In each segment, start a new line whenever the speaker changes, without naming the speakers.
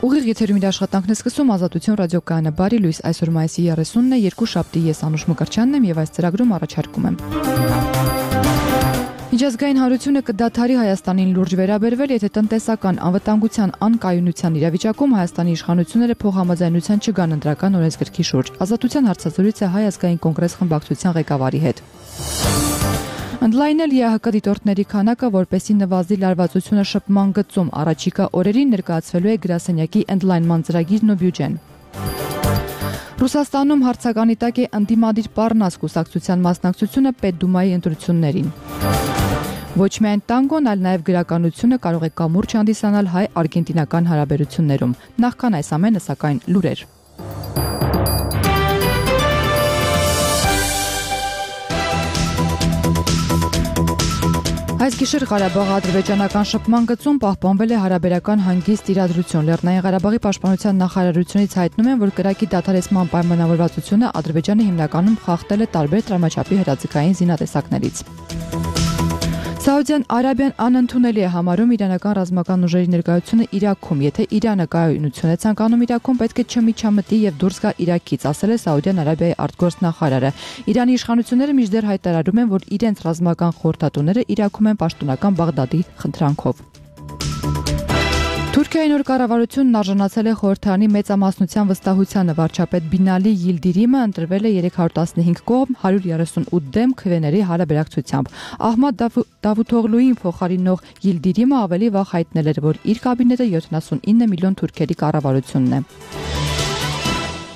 Ուղիղ եթերում իր աշխատանքն է սկսում Ազատություն ռադիոկայանը։ Բարի լույս, այսօր մայիսի 30-ն է, երկուշաբթի, ես Անուշ Մկրտչյանն եմ եւ այս ծրագրում առաջարկում եմ։ Միջազգային հանրությունը կդադարի Հայաստանին լուրջ վերաբերվել, եթե տնտեսական անվտանգության անկայունության իրավիճակում Հայաստանի իշխանությունները փոխհամաձայնության չգան ընտրական օրենսգրքի շուրջ։ Ազատության հարցազրույց է Հայ ազգային կոնգրես խմբակցության ղեկավարի հետ։ Ընդլայնել ԵԱՀԿ դիտորդների քանակը, որպեսզի նվազի լարվածությունը շփման գծում, առաջիկա օրերին ներկայացվելու է գրասենյակի ընդլայնման ծրագիրն ու բյուջեն։ Ռուսաստանում հարցականի տակ է ընդդիմադիր Պառնաս կուսակցության մասնակցությունը Պետդումայի ընտրություններին։ Ոչ միայն տանգոն, այլ նաև գրականությունը կարող է կամուրջ հանդիսանալ հայ-արգենտինական հարաբերություններում։ Նախքան այս ամենը, սակայն, լուրեր։ Այս գիշեր Ղարաբաղի ադրբեջանական շփման գծում պահպանվել է հարաբերական հանգիստ իրադրություն։ Լեռնային Ղարաբաղի պաշտպանության նախարարությունից հայտնում են, որ կրակի դադարեցման պայմանավորվածությունը Ադրբեջանը հիմնականում խախտել է տարբեր տրամաչափի հրաձգային զինատեսակներից։ Սաուդյան Արաբիան անընդունելի է համարում իրանական ռազմական ուժերի ներկայությունը Իրաքում։ Եթե Իրանը կայունություն է ցանկանում Իրաքում, պետք է չմիջամտի եւ դուրս գա Իրաքից, ասել է Սաուդյան Արաբիայի արտգործնախարարը։ Իրանի իշխանությունները մինչդեռ հայտարարում են, որ իրենց ռազմական խորհրդատուները Իրաքում են պաշտոնական Բաղդադի խնդրանքով։ Թուրքիայի նոր կառավարությունն արժանացել է խորհրդարանի մեծամասնության վստահությանը։ Վարչապետ Բինալի Yildirimը ընտրվել է 315 կողմ 138 դեմ քվեների հարաբերակցությամբ։ Ահմադ Դավութօղլուին փոխարինող Yildirimը ավելի վաղ հայտնել էր, որ իր կաբինետը 79 միլիոն թուրքերի կառավարությունն է։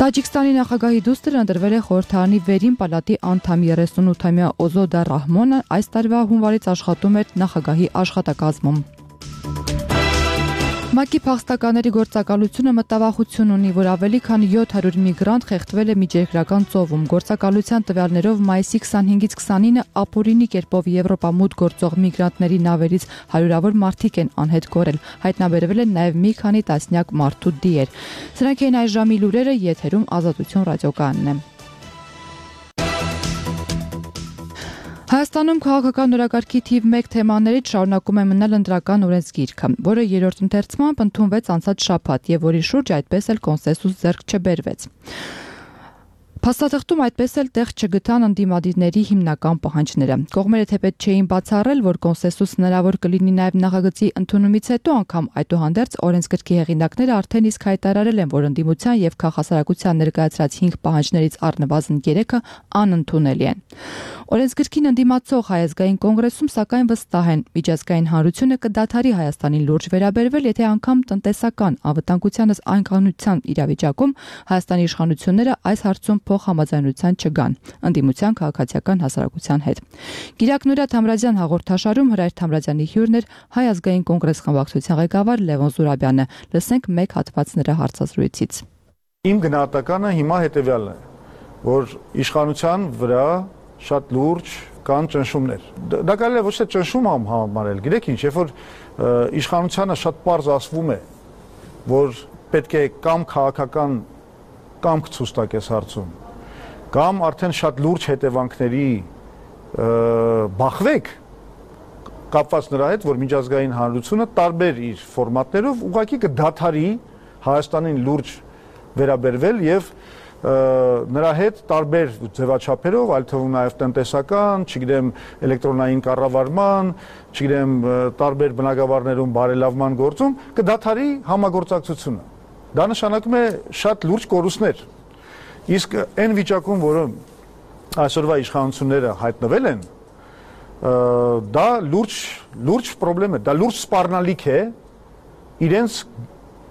Տաջիկստանի նախագահի դուստրը ընտրվել է խորհրդարանի վերին պալատի անդամ 38-ամյա Օզոդա Ռահմոնը այս տարվա հունվարից աշխատում էր նախագահի աշխատակազմում։ ՄԱԿ-ի փախստականների գործակալությունը մտավախություն ունի, որ ավելի քան 700 միգրանտ խեղդվել է միջերկրական ծովում։ Գործակալության տվյալներով մայիսի 25-ից 29-ը ապօրինի կերպով Եվրոպա մուտք գործող միգրանտների նավերից հարյուրավոր մարդիկ են անհետ կորել։ Հայտնաբերվել են նաև մի քանի տասնյակ մարդու դիեր։ Սրանք էին այս ժամի լուրերը, եթերում Ազատություն ռադիոկայանն է։ Հայաստանում քաղաքական օրակարգի թիվ 1 թեմաներից շարունակում է մնալ ընտրական օրենսգիրքը, որը երրորդ ընթերցմամբ ընդունվեց անցած շաբաթ եւ որի շուրջ այդպես էլ կոնսենսուս ձեռք չբերվեց։ Փաստաթղթում այդպես էլ տեղ չգտան ընդդիմադիրների հիմնական պահանջները։ Կողմերը թեպետ չէին բացառել, որ կոնսենսուս հնարավոր կլինի նաև նախագծի ընդունումից հետո, անգամ այդուհանդերձ օրենսգրքի հեղինակները արդեն իսկ հայտարարել են, որ ընդդիմության եւ քաղաքասարակության ներկայացրած 5 պահանջներից առնվազն 3-ը անընդունելի են։ Օրենսգրքին ընդդիմացող Հայ ազգային կոնգրեսում սակայն վստահ են, միջազգային հանրությունը կդադարի Հայաստանին լուրջ վերաբերվել, եթե անգամ տնտեսական անվտանգությանս անկայունության իրավիճակում Հայաստանի իշխանությունները այս հարցում փոխհամաձայնության չգան ընդդիմության քաղաքացիական հասարակության հետ։ Գիրակ Նուրիաթ Թամրազյան հաղորդաշարում Հրայր Թամրազյանի հյուրն էր Հայ ազգային կոնգրես խմբակցության ղեկավար Լևոն Զուրաբյանը։ Լսենք մեկ հատված նրա հարցազրույցից։
Իմ գնահատականը հիմա հետևյալն է, որ իշխանության վրա շատ լուրջ կան ճնշումներ։ Դա կարելի է ոչ թե ճնշում համարել, գիտեք ինչ, երբ որ իշխանությանը շատ պարզ ասվում է, որ պետք է կամ քաղաքական կամք ցույց տակ այս հարցում, կամ արդեն շատ լուրջ հետևանքների բախվեք, կապված նրա հետ, որ միջազգային հանրությունը տարբեր իր ֆորմատներով ուղղակի կդադարի Հայաստանին լուրջ վերաբերվել եւ նրա հետ տարբեր ձևաչափերով, այլ թվում նաև տնտեսական, չգիտեմ, էլեկտրոնային կառավարման, չգիտեմ, տարբեր բնակավարներում բարելավման գործում կդադարի համագործակցությունը։ Դա նշանակում է շատ լուրջ կորուստներ։ Իսկ այն վիճակում, որը այսօրվա իշխանությունները հայտնվել են, դա լուրջ խնդրեմ է, դա լուրջ սպառնալիք է իրենց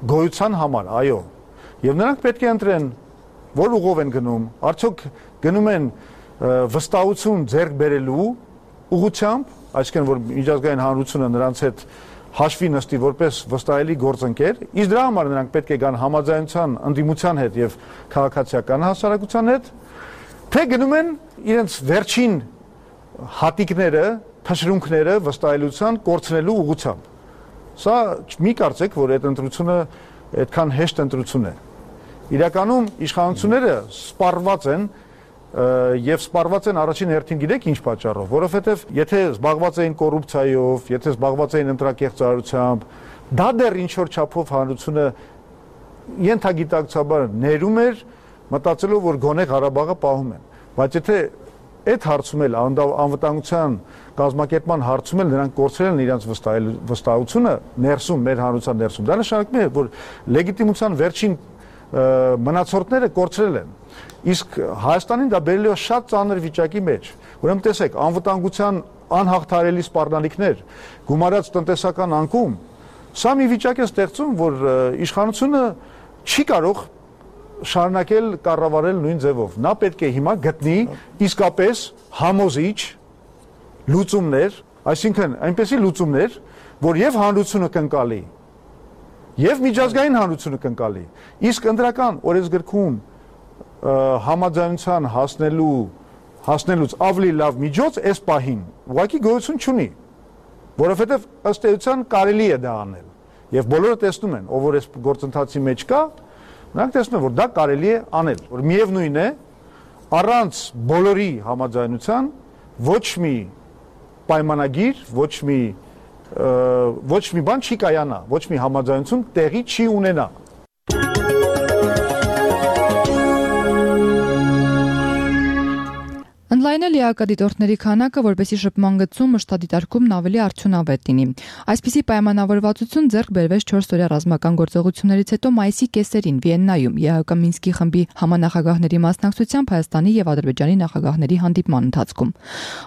գոյության համար, այո։ Եվ նրանք պետք է ընտրեն որ ուղով են գնում, արդյոք գնում են վստահություն ձեռք բերելու ուղղությամբ, այսինքն որ միջազգային հանրությունը նրանց հետ հաշվի նստի որպես վստահելի գործընկեր, իսկ դրա համար նրանք պետք է գան համաձայնության, ընդդիմության հետ եւ քաղաքացիական հասարակության հետ, թե գնում են իրենց վերջին հատիկները, թշրունքները վստահելիության կորցնելու ուղղությամբ։ Սա մի կարծեք, որ այդ ընտրությունը այդքան հեշտ ընտրություն է։ Իրականում իշխանությունները սպառված են եւ սպառված են առաջին հերթին գիտեք ինչ պատճառով, որովհետեւ եթե զբաղված էին կոռուպցիայով, եթե զբաղված էին ընտրակեղծարարությամբ, դա դեռ ինչ որ չափով հանրությունը ենթագիտակցաբար ներում էր, մտածելով, որ գոնե Ղարաբաղը պահում են, բայց եթե այդ հարցում էլ անվտանգության կազմակերպման հարցում էլ նրանք կորցրել են իրենց վստահությունը ներսում, մեր հանրության ներսում, դա նշանակում է, որ լեգիտիմության վերջին մնացորդները կորցրել են, իսկ Հայաստանին դա բերել է շատ ծանր վիճակի մեջ, ուրեմն տեսեք, անվտանգության անհաղթարելի սպառնալիքներ, գումարած տնտեսական անկում, սա մի վիճակ է ստեղծում, որ իշխանությունը չի կարող շարունակել կառավարել նույն ձևով։ Նա պետք է հիմա գտնի իսկապես համոզիչ լուծումներ, այսինքն այնպեսի լուծումներ, որ եւ հանրությունը կընկալի, եւ միջազգային հանրությունը կընկալի։ Իսկ ընդրական օրենսգրքում համաձայնության հասնելուց ավելի լավ միջոց այս պահին ուղղակի գոյություն չունի, որովհետեւ ըստ էության կարելի է դա անել։ Եվ բոլորը տեսնում են, ով որ այս գործընթացի մեջ կա, նրանք տեսնում են, որ դա կարելի է անել, որ միևնույն է, առանց բոլորի համաձայնության ոչ մի պայմանագիր, ոչ մի բան չի կայանա, ոչ մի համաձայնություն տեղի չի ունենա։
Ընդլայնել ԵԱԿ-դիտորդների քանակը, որպեսզի շփման գծում մշտադիտարկումն ավելի արդյունավետ լինի։ Այսպիսի պայմանավորվածություն ձեռք բերվեց 4-օրյա ռազմական գործողություններից հետո մայիսի կեսերին Վիեննայում ԵԱՀԿ Մինսկի խմբի համանախագահների մասնակցությամբ Հայաստանի եւ Ադրբեջանի նախագահների հանդիպման ընթացքում։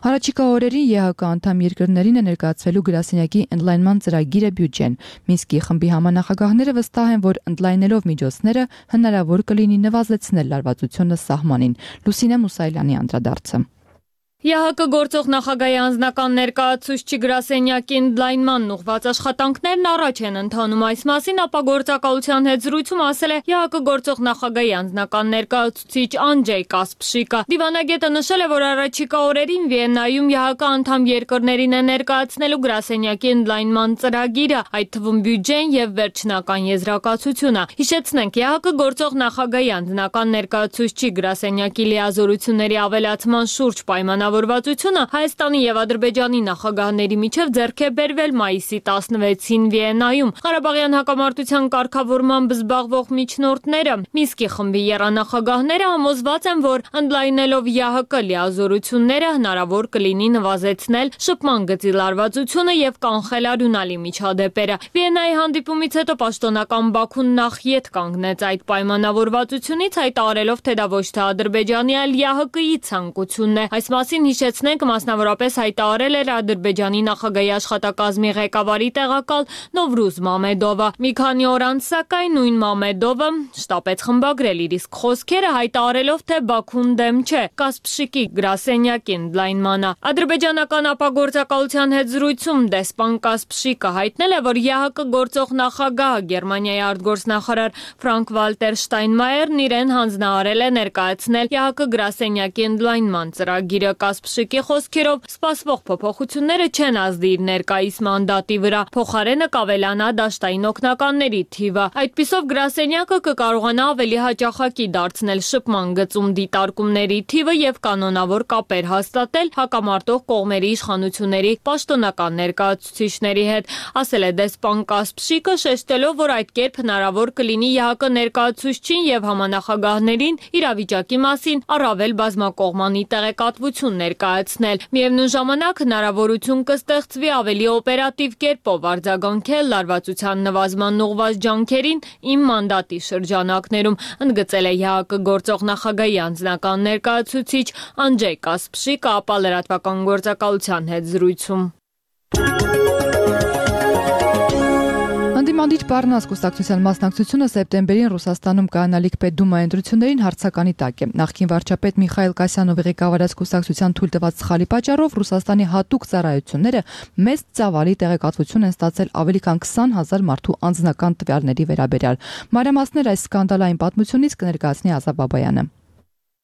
Առաջիկա օրերին ԵԱՀԿ անդամ երկրներին է ներկայացվելու գրասենյակի ընդլայնման ծրագիրը բյուջեն։ Մինսկի խմբի համանախագահները վստահ են, որ ընդլայնելով միջոցները հնարավոր կլինի նվազեցնել լարվածությունը սահմանին։ Լուսինե Մուսայելյանի անդրադարձ։
ԵԱՀԿ գործող նախագահի անձնական ներկայացուցչի գրասենյակի ընդլայնմանն ուղղված աշխատանքներն առաջ են ընթանում այս մասին, ապա գործակալության հետ զրույցում ասել է ԵԱՀԿ գործող նախագահի անձնական ներկայացուցիչ Անջեյ Կասպշիկը։ Դիվանագետը նշել է, որ առաջիկա օրերին Վիեննայում ԵԱՀԿ անդամ երկրներին է ներկայացնելու գրասենյակի ընդլայնման ծրագիրը, այդ թվում բյուջեն եւ վերջնական եզրակացությունը։ Հիշեցնենք, ԵԱՀԿ գործող նախագահի անձնական ներկայացուցչի գրասենյակի լիազորությունների ավելացման շուրջ պայմանավորվածությունը Հայաստանի եւ Ադրբեջանի նախագահների միջև ձեռք է բերվել մայիսի 16-ին Վիեննայում։ Ղարաբաղյան հակամարտության կարգավորմամբ զբաղվող միջնորդները Մինսկի խմբի եռանախագահները համոզված են, որ ընդլայնելով ԵԱՀԿ լիազորությունները հնարավոր կլինի նվազեցնել շփման գծի լարվածությունը եւ կանխել արյունալի միջադեպերը։ Վիեննայի հանդիպումից հետո պաշտոնական Բաքուն նախ ետ կանգնեց այդ պայմանավորվածությունից, հայտարարելով, թե դա ոչ թե Ադրբեջանի, այլ ԵԱՀԿ-ի ցանկությունն է։ Այս մասին հիշեցնենք, մասնավորապես հայտարարել էր Ադրբեջանի նախագահի աշխատակազմի ղեկավարի տեղակալ Նովրուզ Մամեդովը։ Մի քանի օր անց, սակայն, նույն Մամեդովը շտապեց խմբագրել իր իսկ խոսքերը, հայտարարելով, թե Բաքուն դեմ չէ Կասպշիկի գրասենյակի ընդլայնմանը։ Ադրբեջանական ապագործակալության հետ զրույցում դեսպան Կասպշիկը հայտնել է, որ ԵԱՀԿ գործող նախագահը Գերմանիայի արտգործնախարար Ֆրանկ Վալտեր Շտայնմայերն իրեն հանձնարարել է ներկայացնել ԵԱՀԿ գրասենյակի ընդլայնման ծրագիրը։ Կասպշիկի խոսքերով սպասվող փոփոխությունները չեն ազդի իր ներկայիս մանդատի վրա, փոխարենը կավելանա դաշտային օգնականների թիվը։ Այդպիսով գրասենյակը կկարողանա ավելի հաճախակի դարձնել շփման գծում դիտարկումների թիվը եւ կանոնավոր կապեր հաստատել հակամարտող կողմերի իշխանությունների պաշտոնական ներկայացուցիչների հետ, ասել է դեսպան Կասպշիկը, շեշտելով, որ այդ կերպ հնարավոր կլինի ԵԱՀԿ ներկայացուցչին եւ համանախագահներին իրավիճակի մասին առավել բազմակողմանի տեղեկատվություն ներկայացնել։ Միևնույն ժամանակ հնարավորություն կստեղծվի ավելի օպերատիվ կերպով արձագանքել լարվածության նվազման ուղղված ջանքերին իմ մանդատի շրջանակներում, ընդգծել է ԵԱՀԿ գործող նախագահի անձնական ներկայացուցիչ Անջեյ Կասպշիկը, ապա լրատվական գործակալության հետ զրույցում։
Անդիմադիր Պարնաս կուսակցության մասնակցությունը սեպտեմբերին Ռուսաստանում կայանալիք պետդումայի ընտրություններին հարցականի տակ է։ Նախկին վարչապետ Միխայել Կասյանովի ղեկավարած կուսակցության թույլ տված սխալի պատճառով Ռուսաստանի հատուկ ծառայությունները մեծ ծավալի տեղեկատվություն են ստացել ավելի քան 20,000 մարդու անձնական տվյալների վերաբերյալ։ Մանրամասներ այս սկանդալային պատմությունից կներկայացնի Ազա Բաբայանը։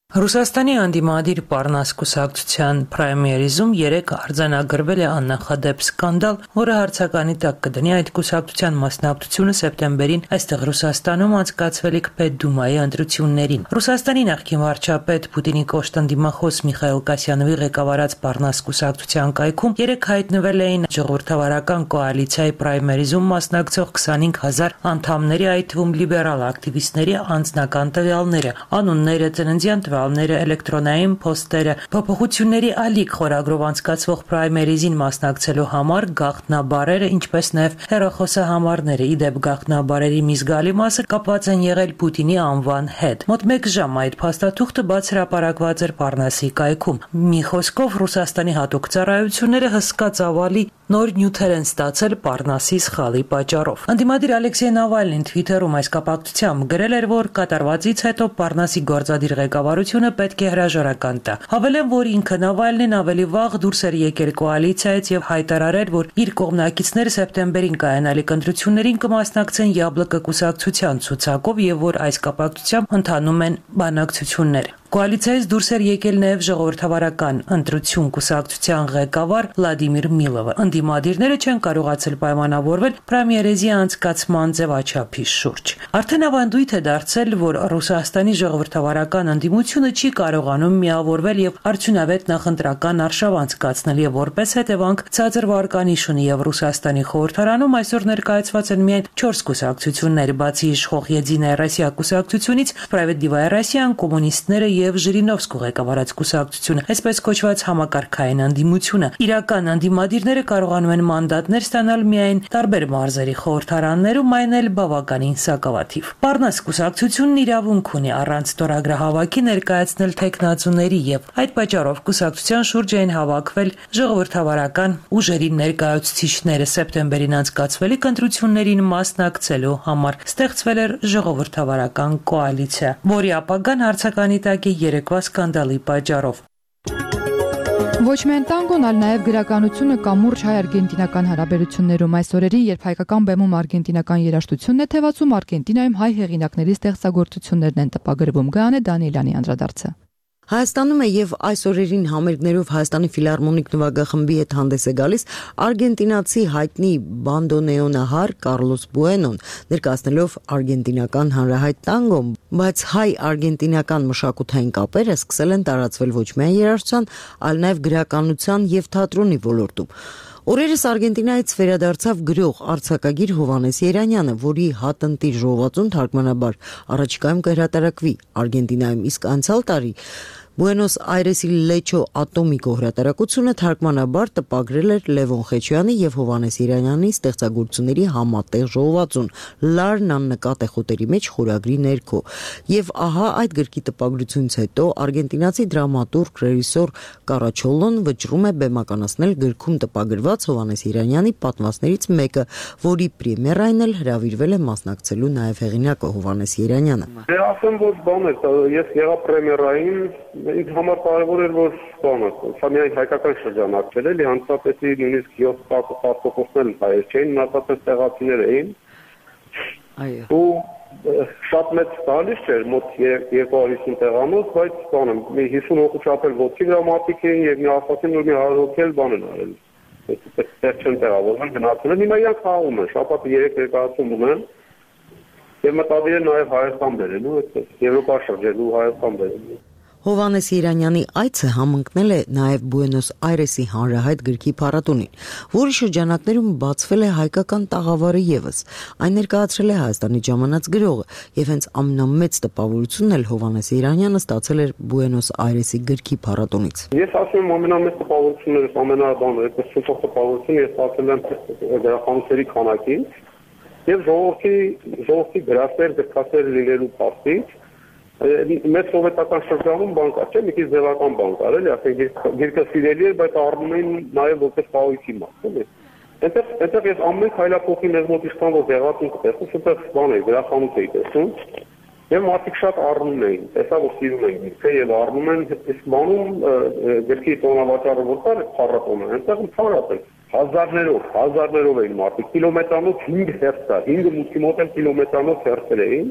Ռուսաստանի անդիմադիր Պարնաս կուսակցության պրայմերիզում 3 արձանագրվել է աննախադեպ սկանդալ, որը հարցականի տակ կդնի այդ կուսակցության մասնակցությունը սեպտեմբերին այստեղ Ռուսաստանում անցկացվելիք Պետդումայի ընտրություններին։ Ռուսաստանի նախկին վարչապետ Պուտինի կոշտ ընդդիմախոս Միխայիլ Կասյանովի ղեկավարած Պարնաս կուսակցության կայքում 3 հայտնվել էին ժողովրդավարական կոալիցիայի պրայմերիզում մասնակցող 25,000 անդամների, այդ թվում լիբերալ ակտիվիստների անձնական տվյալները, անունները, ծննդյան տվյալները, էլեկտրոնային փոստերը, փոփոխությունների ալիք խորագրով անցկացվող պրայմերիզին մասնակցելու համար գաղտնաբառերը, ինչպես նաև հեռախոսահամարները։ Իդեպ գաղտնաբառերի մի զգալի մասը կապված են եղել Պուտինի անվան հետ։ Մոտ 1 ժամ այդ փաստաթուղթը բաց հրապարակված էր Պարնասի կայքում։ Մի խոսքով Ռուսաստանի հատուկ ծառայությունները հսկա ծավալի նոր նյութեր են ստացել Պարնասի սխալի պատճառով։ Անդիմադիր Ալեքսեյ Նավալնին Twitter-ում այս կապակցությամբ գրել էր, որ կատարվածից հետո Պարնասի գործադիր ղեկավարությունը պետք է հրաժարական տա։ Հավելեմ, որ ինքը Նավալնին ավելի վաղ դուրս էր եկել կոալիցիայից եւ հայտարարել, որ իր կողմնակիցները սեպտեմբերին կայանալիք ընտրություններին կմասնակցեն ԵԱԲԼԿ կուսակցության ցուցակով եւ որ այս կապակցությամբ ընթանում են բանակցություններ։ Կոալիցիայից դուրս էր եկել նաև ժողովրդավարական ընտրություն կուսակցության ղեկավար Վլադիմիր Միլովը։ Անդիմադիրները չեն կարողացել պայմանավորվել պրեմիերեզի անցկացման ձևաչափի շուրջ։ Արդեն ավանդույթ է դարձել, որ Ռուսաստանի ժողովրդավարական ընդդիմությունը չի կարողանում միավորվել եւ արդյունավետ նախընտրական արշավ անցկացնել եւ որպես հետևանք ցածր վարկանիշ ունի եւ Ռուսաստանի խորհրդարանում այսօր ներկայացված են միայն 4 կուսակցություններ, բացի իշխող Եդինայա Ռոսիա կուսակցությունից, Սպրավեդլիվայա Ռոսիան, կոմունիստները եւ Ժիրինովսկու ղեկավարած կուսակցությունը, այսպես կոչված համակարգային անդիմությունը։ Իրական անդիմադիրները կարողանում են մանդատներ ստանալ միայն տարբեր մարզերի խորհրդարաններում, այն էլ բավականին սակավաթիվ։ Պարնաս կուսակցությունն իրավունք ունի առանց ստորագրահավաքի ներկայացնել թեկնածուների եւ այդ պատճառով կուսակցության շուրջ էին հավաքվել ժողովրդավարական ուժերի ներկայացուցիչները սեպտեմբերին անցկացվելիք ընտրություններին մասնակցելու համար։ Ստեղծվել էր ժողովրդավարական կոալիցիա, որի ապագան հարցականի տակ երեկվա սկանդալի պատճառով։
Ոչ միայն տանգոն, այլ նաև գրականությունը կամուրջ հայ-արգենտինական հարաբերություններում այս օրերին, երբ հայկական բեմում արգենտինական երաժշտությունն է թևածում, Արգենտինայում հայ հեղինակների ստեղծագործություններն են տպագրվում։ Գայանե Դանիելյանի անդրադարձը։
Հայաստանում է եւ այս օրերին համերգներով Հայաստանի ֆիլհարմոնիկ նվագախմբի հետ հանդես է գալիս արգենտինացի հայտնի բանդոնեոնահար Կարլոս Բուենոն, ներկայացնելով արգենտինական հանրահայտ տանգոն, բայց հայ-արգենտինական մշակութային կապերը սկսել են տարածվել ոչ միայն երաժշտության, այլ նաեւ գրականության եւ թատրոնի ոլորտում։ Օրերս Արգենտինայից վերադարձավ գրող արձակագիր Հովհաննես Երանյանը, որի հատնտիր ժողովածուն թարգմանաբար առաջիկայում կհրատարակվի Արգենտինայում, իսկ անցյալ տարի Բուենոս Այրեսի Լեչո ատոմիկո հրատարակությունը թարգմանաբար տպագրել էր Լևոն Խեչյանի եւ Հովհաննես Երանյանի ստեղծագործությունների համատեղ ժողովածուն Լարն աննկատ է խոտերի մեջ խորագրի ներքո։ Եվ ահա այդ գրքի տպագրությունից հետո արգենտինացի դրամատուրգ ռեժիսոր Կարաչոլոն վճռում է բեմականացնել գրքում տպագրված Հովհաննես Երանյանի պատմվածներից մեկը, որի պրեմիերային էլ հրավիրվել է մասնակցելու նաեւ հեղինակը Հովհաննես Երանյանը։
Դե ասեմ, որ բան է, ես եղա պրեմիերային ինձ համար կարևոր էր, որ բանը, սա միայն հայկական շրջանակ չէր, էլի հանդիսատեսի նույնիսկ 7% հայեր չէին, մնացածը տեղացիներ էին։ Այո։ Ու շատ մեծ տալիս չէր, մոտ 250 տեղանոց, բայց բանը, մի 50 հոգու չափել ոտքի գրամատիկ էին եւ մի ասացին, որ մի 100 հոգի էլ բան են արել։ Այդպես չեն տեղավորվում, գնացել են, հիմա իրանք խաղում են, շաբաթը 3 ներկայացում ունեն։ Եվ մտադիր են նաեւ Հայաստան բերելու, այդպես Եվրոպա շրջելու Հայաստան բերելու։
Հովհաննես Երանյանի այցը համընկնել է նաև Բուենոս Այրեսի հանրահայտ գրքի փառատոնին, որի շրջանակներում բացվել է հայկական տաղավարը եւս։ Այն ներկայացրել է Հայաստանի ժամանած գրողը, եւ հենց ամենամեծ տպավորությունն էլ Հովհաննես Երանյանը ստացել էր Բուենոս Այրեսի գրքի փառատոնից։
Ես ասում եմ ամենամեծ տպավորություններս, ամենաբանը, այդպես շուտով տպավորություն ես ստացել եմ գրախանութերի քանակից եւ ժողովրդի գրասեր, գրքասեր լինելու փաստից։ Մեծ սովետական շրջանում բան կար, չէ՞, մի քիչ ձևական բան կար, էլի, ասենք գիրքը սիրելի էր, բայց առնում էին նաև որպես խաղողի մաս, էլի։ Այնտեղ ես ամեն քայլափոխի մեզ մոտ իշխան որ եղածին կտեսնում, շուտով բան է, գրախանութ էի տեսնում, եւ մարդիկ շատ առնում էին, տեսա որ սիրում են գիրքը եւ առնում են, իսկ բանում գրքի տոնավաճառը որ կար, փառատոնը, այնտեղ փառատոն հազարներով էին մարդիկ, կիլոմետրանոց 5 հերթ կար, 5 մուտքի մոտ էլ կիլոմետրանոց հերթեր էին։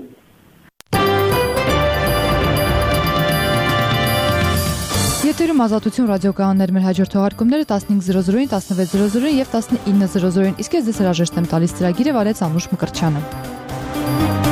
Եթերում Ազատություն ռադիոկայաններ, մեր հաջորդ թողարկումները 15:00-ին, 16:00-ին եւ 19:00-ին։ Իսկ ես ձեզ հրաժեշտ եմ տալիս ծրագիրը վարեց Անուշ Մկրտչյանը։